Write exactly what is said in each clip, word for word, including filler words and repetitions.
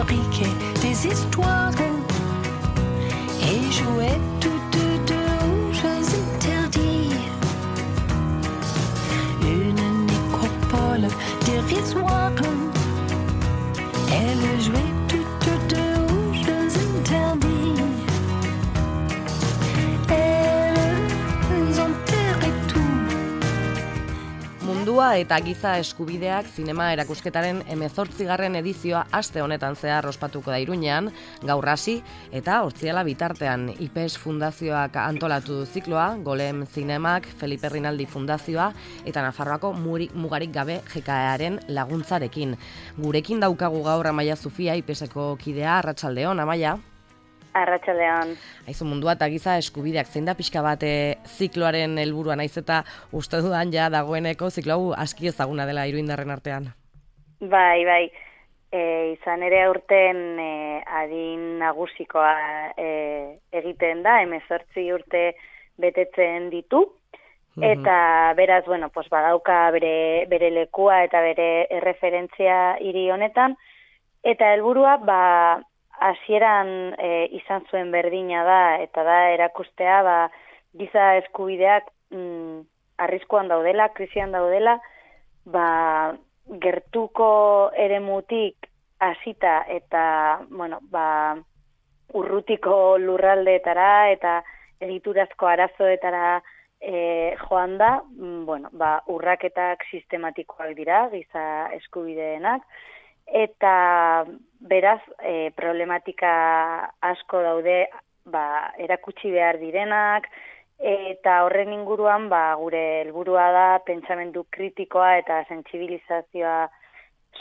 fabriquait des histoires et jouait toutes deux aux jeux interdits. Une nécropole dérisoire, elle jouait toutes deux aux jeux interdits. Elles enterraient tout. Mundua eta giza eskubideak zinema erakusketaren hemezortzigarren edizioa aste honetan zehar ospatuko da Iruñean, gaur hasi eta hortziala bitartean I P E S Fundazioak antolatu du zikloa, Golem Zinemak, Felipe Rinaldi Fundazioa eta Nafarroako Murik Mugarik Gabe G K Earen laguntzarekin. Gurekin daukagu gaur Amaia Zufia, I P E Seko kidea, arratsaldeon, Amaia. Arratsaldeon. Aizu, mundua eta giza eskubideak zein da pixka bat e, zikloaren helburua, naiz eta uste dudan ja dagoeneko ziklo hau aski ezaguna dela iruindarren artean. Bai, bai. E, izan ere aurten e, adin nagusikoa e, egiten da, hemezortzi urte betetzen ditu, eta beraz, bueno, pues badauka bere, bere lekua eta bere erreferentzia hiri honetan, eta helburua, ba, hasieran e, izan zuen berdina da, eta da erakustea ba, giza eskubideak mm, arriskuan daudela, krisian daudela, ba, gertuko eremutik hasita eta bueno, ba, urrutiko lurraldeetara eta egiturazko arazoetara e, joan da, mm, bueno, ba, urraketak sistematikoak dira, giza eskubideenak, eta beraz e, problematika asko daude ba, erakutsi behar direnak, eta horren inguruan ba, gure helburua da pentsamendu kritikoa eta sentsibilizazioa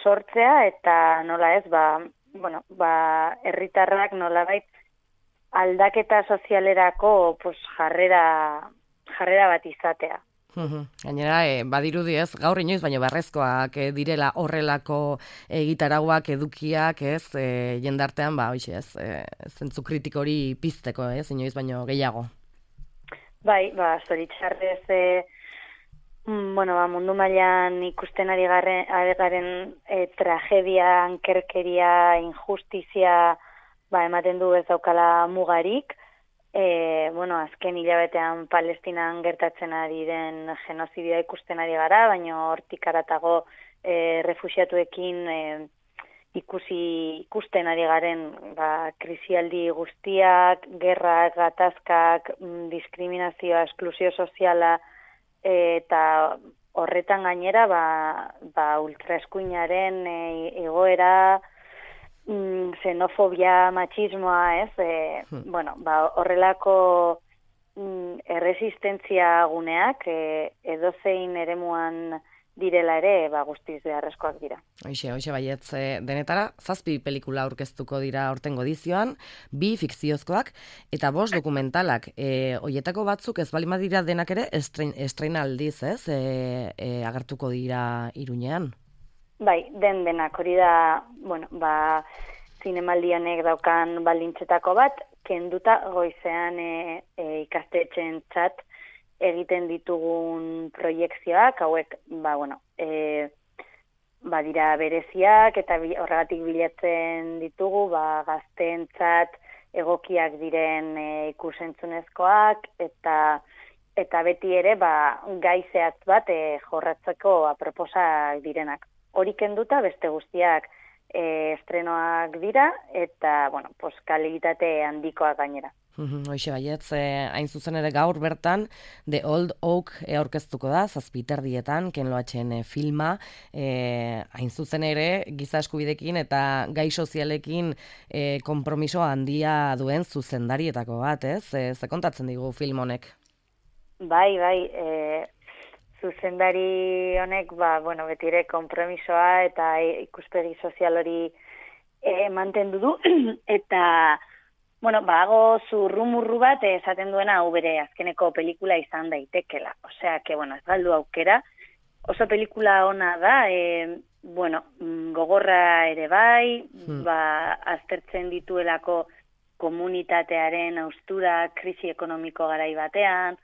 sortzea, eta nola ez, ba, bueno, ba, herritarrak nolabait aldaketa sozialerako pues, jarrera, jarrera bat izatea. Gainera, e, badirudi ez, gaur inoiz, baina beharrezkoak e, direla horrelako egitarauak, edukiak, ez, e, jendartean, ba, hoxe ez, e, zentzu kritiko hori pizteko, ez, inoiz, baino gehiago. Bai, ba, zoritxarrez, e, bueno, ba, mundu mailan ikusten ari garen, ari garen e, tragedia, ankerkeria, injustizia, ba, ematen du ez daukala mugarik. E, bueno, azken hilabetean Palestinan gertatzen ari den genozidioa ikusten ari gara, baina hortik aratago e, refuxiatuekin e, ikusi ikusten ari garen ba, krisialdi guztiak, gerrak, gatazkak, diskriminazioa, esklusio soziala, e, eta horretan gainera ba, ba, ultraeskuinaren e, egoera, xenofobia, machismoa, ez, e, hmm. bueno, ba, horrelako mm, erresistentzia guneak e, edozein eremuan direla ere, ba, guztiz beharrezkoak dira. Hoxe, hoxe baietz, e, denetara, zazpi pelikula aurkeztuko dira aurtengo edizioan, bi fikziozkoak, eta bost dokumentalak. E, Hoietako batzuk ez bali badira denak ere, estrein, estreinaldiz, ez, e, e, agertuko dira Iruñean. Bai, den denak, hori da, bueno, ba, zinemaldi honek daukan baldintzetako bat, kenduta goizean e, e, ikastetxeen txat egiten ditugun proiekzioak, hauek, ba, bueno, e, ba, dira bereziak, eta bi, horregatik bilatzen ditugu, ba, gazteen txat egokiak diren e, ikusentzunezkoak, eta eta beti ere, ba, gaizeat bat e, jorratzeko aproposak direnak. Hori kenduta beste guztiak e, estrenoak dira eta, bueno, pues, kalitate handikoak gainera. Hoxe baietz, eh, hain zuzen ere gaur bertan The Old Oak e, aurkeztuko da, zazpiterdietan, Ken Loachen e, filma, e, hain zuzen ere giza eskubidekin eta gai sozialekin e, konpromiso handia duen zuzendarietako bat, ez? E, ze kontatzen digu film honek? Bai, bai, e... zuzendari honek, ba, bueno, betire konpromisoa eta ikuspegi sozial hori e, mantendu du, eta, bueno, bago zurrumurru bat esaten duena hau bere azkeneko pelikula izan daitekela. Osea, que, bueno, ez galdu aukera, oso pelikula ona da, e, bueno, gogorra ere bai, hmm. ba, aztertzen dituelako komunitatearen haustura, krisi ekonomiko garai batean,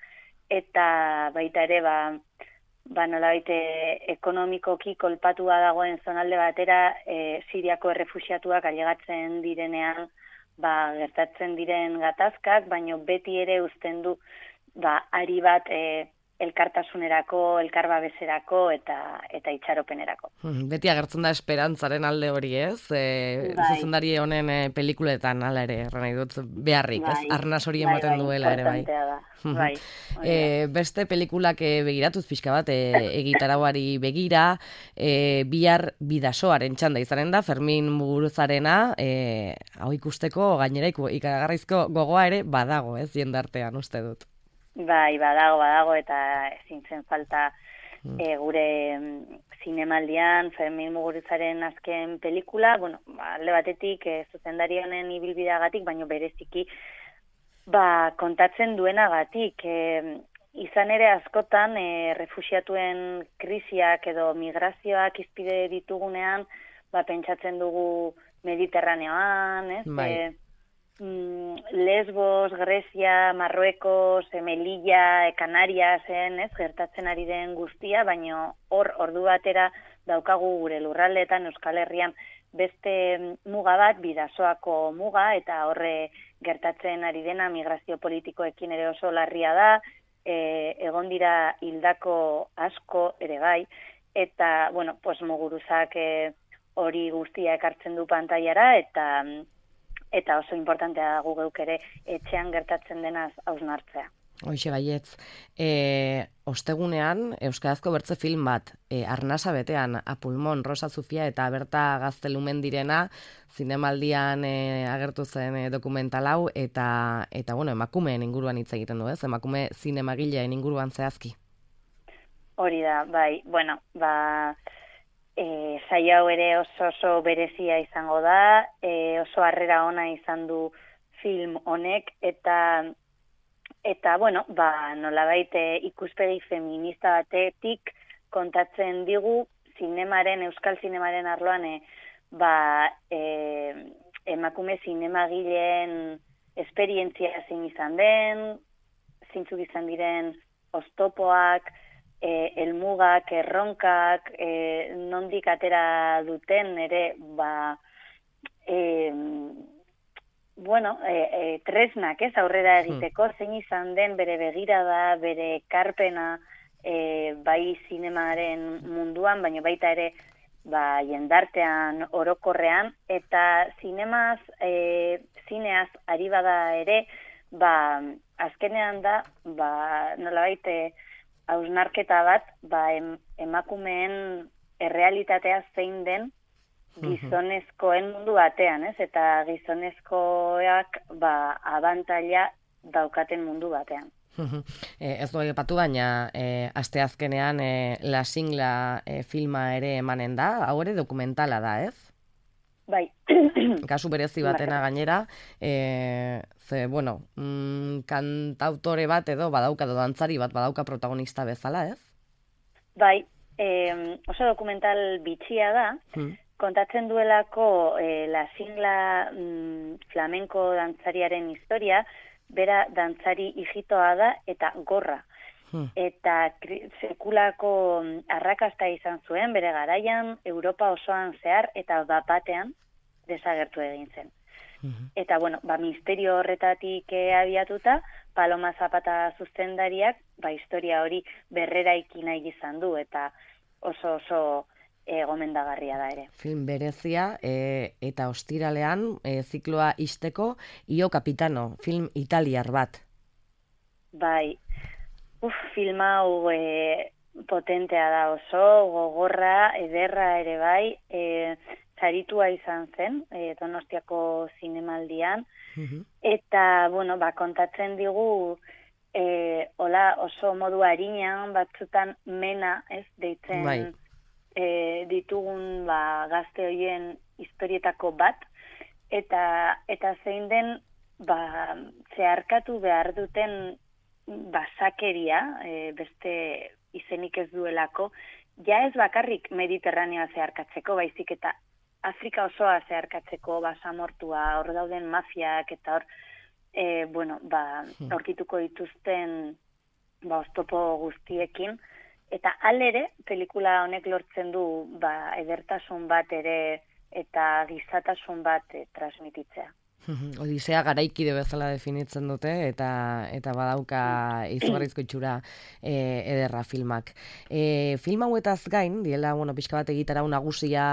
eta baita ere, ba, ba, nolabait e, ekonomikoki kolpatua dagoen zonalde batera e, Siriako errefuxiatuak ailegatzen direnean ba, gertatzen diren gatazkak, baino beti ere uzten du ba, ari bat e, elkartasunerako, elkarbabeserako eta eta itxaropenerako. Hmm, Beti agertzen da esperantzaren alde hori, ez? E, Bai. Zuzendari honen e, pelikuletan hala ere, erran nahi dut, beharrik, ez? Bai, Arnas hori bai, ematen bai, duela ere, bai. importantea da. Mhm. Bai, hori E, da. beste pelikulak e, begiratuz pixka bat, e, egitarauari begira, e, bihar bidasoaren txanda izanen da, Fermin Muguruzarena, e, hau ikusteko gainera iku- ikaragarrizko gogoa ere badago, ez? Jendartean, uste dut. Bai, badago, badago, eta ezin zen falta e, gure mm, zinemaldian Fermin Muguruzaren azken pelikula, bueno, ba, alde batetik e, zuzendari honen ibilbideagatik, baino bereziki ba, kontatzen duenagatik. E, izan ere askotan e, refuxiatuen krisiak edo migrazioak izpide ditugunean, ba, pentsatzen dugu Mediterraneoan, ez? Bai. E, mm, Lesbos, Grezia, Marruekos, e, Melilla, e, Canariasen, ez, gertatzen ari den guztia, baino hor ordu batera daukagu gure lurraldeetan Euskal Herrian beste muga bat, bidasoako muga, eta horre gertatzen ari dena migrazio politikoekin ere oso larria da, e, egon dira hildako asko ere bai, eta, bueno, pues Muguruzak e, hori guztia ekartzen du pantailara, eta eta oso importantea da gu geuk ere etxean gertatzen denaz hausnartzea. Hoxe baietz. E, ostegunean, Euskarazko bertze film bat, e, Arnasa betean, Apulmon, Rosa Zufia eta Berta Gaztelumen direna, zinemaldian e, agertu zen e, dokumental hau, eta, eta bueno, emakumeen inguruan hitz egiten du, ez? Emakume zinemagileen inguruan zehazki. Hori da, bai, bueno, ba... E, saio hau ere oso oso berezia izango da, e, oso harrera ona izan du film honek, eta eta bueno, ba, nolabait e, ikuspegi feminista batetik kontatzen digu zinemaren, euskal zinemaren arloan e, ba, e, emakume zinemagileen esperientzia zein izan den, zeintzuk izan diren oztopoak, E, elmugak, erronkak, e, nondik atera duten ere, ba, e, bueno, e, e, tresnak, ez, aurrera egiteko, hmm. zein izan den bere begirada, bere ekarpena, e, bai zinemaren munduan, baina baita ere, ba, jendartean orokorrean, eta zinemaz, e, zineaz ari bada ere, ba, azkenean da, ba, nolabait, e, hausnarketa bat, ba, em, emakumeen errealitatea zein den gizonezkoen mundu batean, ez? Eta gizonezkoak ba, abantaila daukaten mundu batean. e, ez du aipatu, baina e, asteazkenean e, La Singla e, filma ere emanen da, hau ere dokumentala da, ez? Bai. Kasu berezi batena gainera, e, ze, bueno, mm, kantautore bat edo badauka, edo dantzari bat badauka protagonista bezala, ez? Bai, e, oso dokumental bitxia da, hmm. kontatzen duelako e, La Singla mm, flamenko dantzariaren historia, bera dantzari hijitoa da eta gorra. Hmm. Eta kri, sekulako arrakasta izan zuen, bere garaian, Europa osoan zehar, eta bapatean desagertu egin zen. Hmm. Eta, bueno, ba, misterio horretatik e, abiatuta, Paloma Zapata zuzendariak, ba, historia hori berreraiki nahi izan du, eta oso oso e, gomendagarria da ere. Film berezia, e, eta ostiralean, e, zikloa isteko, Io Capitano, film italiar bat. Bai, uf, film hau e, potentea da oso, gogorra, ederra ere bai, e, saritua izan zen, e, Donostiako zinemaldian, uh-huh. eta, bueno, ba, kontatzen digu, e, hola, oso modu arinean, batzutan mena, ez, deitzen bai. e, ditugun, ba, gazte horien historietako bat, eta, eta zein den, ba, zeharkatu behar duten basakeria, e, beste izenik ez duelako, ja ez bakarrik Mediterraneoa zeharkatzeko, baizik eta Afrika osoa zeharkatzeko, basamortua, hor dauden mafiak, eta hor, e, bueno, ba, aurkituko dituzten, ba, oztopo guztiekin, eta alere, pelikula honek lortzen du ba, edertasun bat ere eta gizatasun bat e, transmititzea. Odisea garaikide bezala definitzen dute eta eta badauka izugarrizko itxura e, ederra filmak. E, film hauetaz gain, diela, bueno, pixka bat egitarau nagusia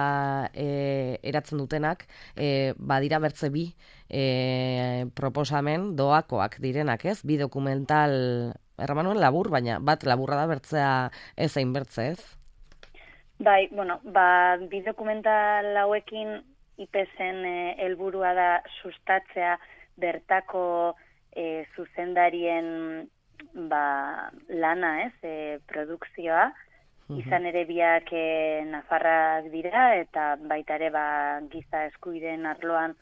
e, eratzen dutenak, e, badira bertze bi e, proposamen doakoak direnak, ez? Bi dokumental, erramanuen labur, baina bat laburra da bertzea ez hain bertze, ez? Bai, bueno, ba, bi dokumental hauekin I P S-en eh, helburua da sustatzea bertako eh, zuzendarien ba, lana, ez, eh, produkzioa. Izan ere biak eh, nafarrak dira eta baita ere ba, giza eskubideen arloan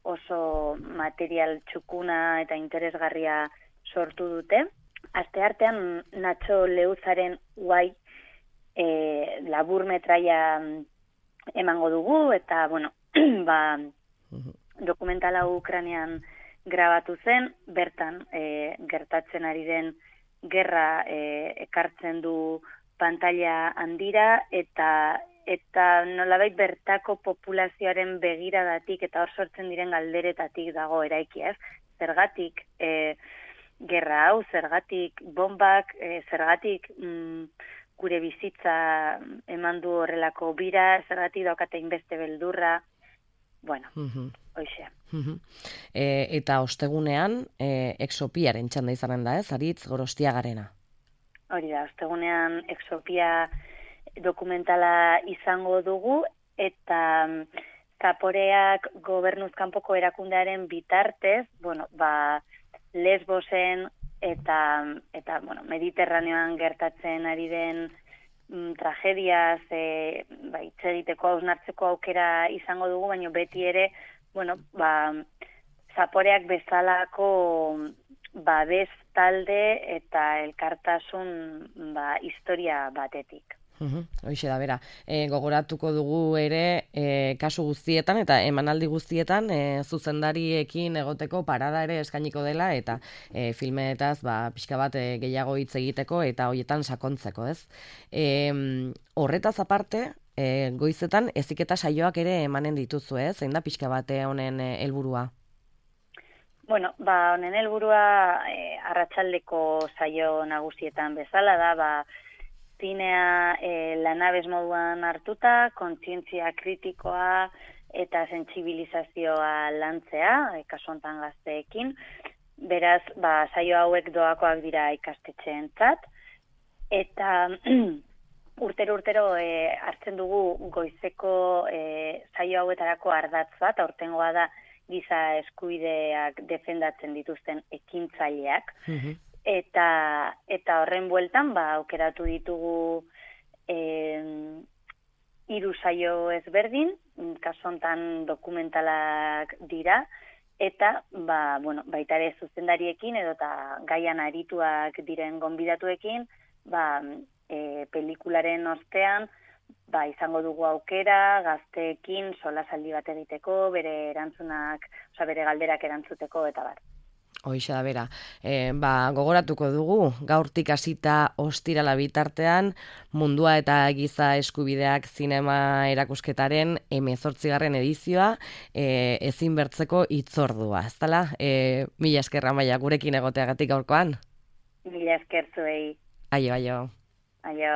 oso material txukuna eta interesgarria sortu dute. Asteartean Nacho Leuzaren Guai eh, labur metraia emango dugu eta, bueno, ba, dokumental hau Ukrainean grabatu zen, bertan e, gertatzen ari den gerra e, ekartzen du pantalla handira eta eta nolabait bertako populazioaren begiradatik eta hor sortzen diren galderetatik dago eraiki, ez? Zergatik e, gerra hau, zergatik bombak, e, zergatik mm, gure bizitza eman du horrelako bira, zergatik daukate inbeste beldurra. Bueno, uh-huh. Hoxe. Uh-huh. E, eta ostegunean, e, exopiaren txanda izanen da, ez? Aritz Gorostiagarena. Hori da, ostegunean exopia dokumentala izango dugu, eta Zaporeak gobernuzkanpoko erakundearen bitartez, bueno, ba, Lesbosen eta, eta bueno, Mediterraneoan gertatzen ari den tragediaz e, ba, hitz egiteko hausnartzeko aukera izango dugu, baina beti ere, bueno, ba, Zaporeak bezalako babes talde eta elkartasun ba, historia batetik. Uhum, hoxe da, bera. E, gogoratuko dugu ere e, kasu guztietan eta emanaldi guztietan e, zuzendariekin egoteko parada ere eskainiko dela eta e, filmetaz ba, pixka bat e, gehiago hitz egiteko eta hoietan sakontzeko, ez? E, horretaz aparte, e, goizetan heziketa saioak ere emanen dituzu, ez? Zein da pixka bate honen helburua? Bueno, ba, honen helburua e, arratsaldeko saio nagusietan bezala da, ba, zinea e, lanabez moduan hartuta, kontzientzia kritikoa eta sentsibilizazioa lantzea, e, kasu hontan gazteekin. Beraz, ba, saio hauek doakoak dira ikastetxeentzat. Eta urtero-urtero e, hartzen dugu goizeko e, saio hauetarako ardatz bat, aurtengoa da giza eskubideak defendatzen dituzten ekintzaileak. Mm-hmm. Eta, eta horren bueltan, ba, aukeratu ditugu eh, hiru saio ezberdin, kasu hontan dokumentalak dira, eta ba, bueno, baita ere zuzendariekin edo eta gaian arituak diren gonbidatuekin, ba, e, pelikularen ostean, ba, izango dugu aukera, gazteekin solasaldi bat egiteko, bere erantzunak, oza, bere galderak erantzuteko, eta bar. Hoixa da, bera. E, ba, gogoratuko dugu, gaurtik hasita ostirala bitartean, Mundua eta Giza Eskubideak zinema erakusketaren hemezortzigarren edizioa, e, ezin bertzeko hitzordua, ez dela? E, mila eskerra Amaia gurekin egoteagatik gaurkoan? Mila esker zuei. Aio, aio. Aio.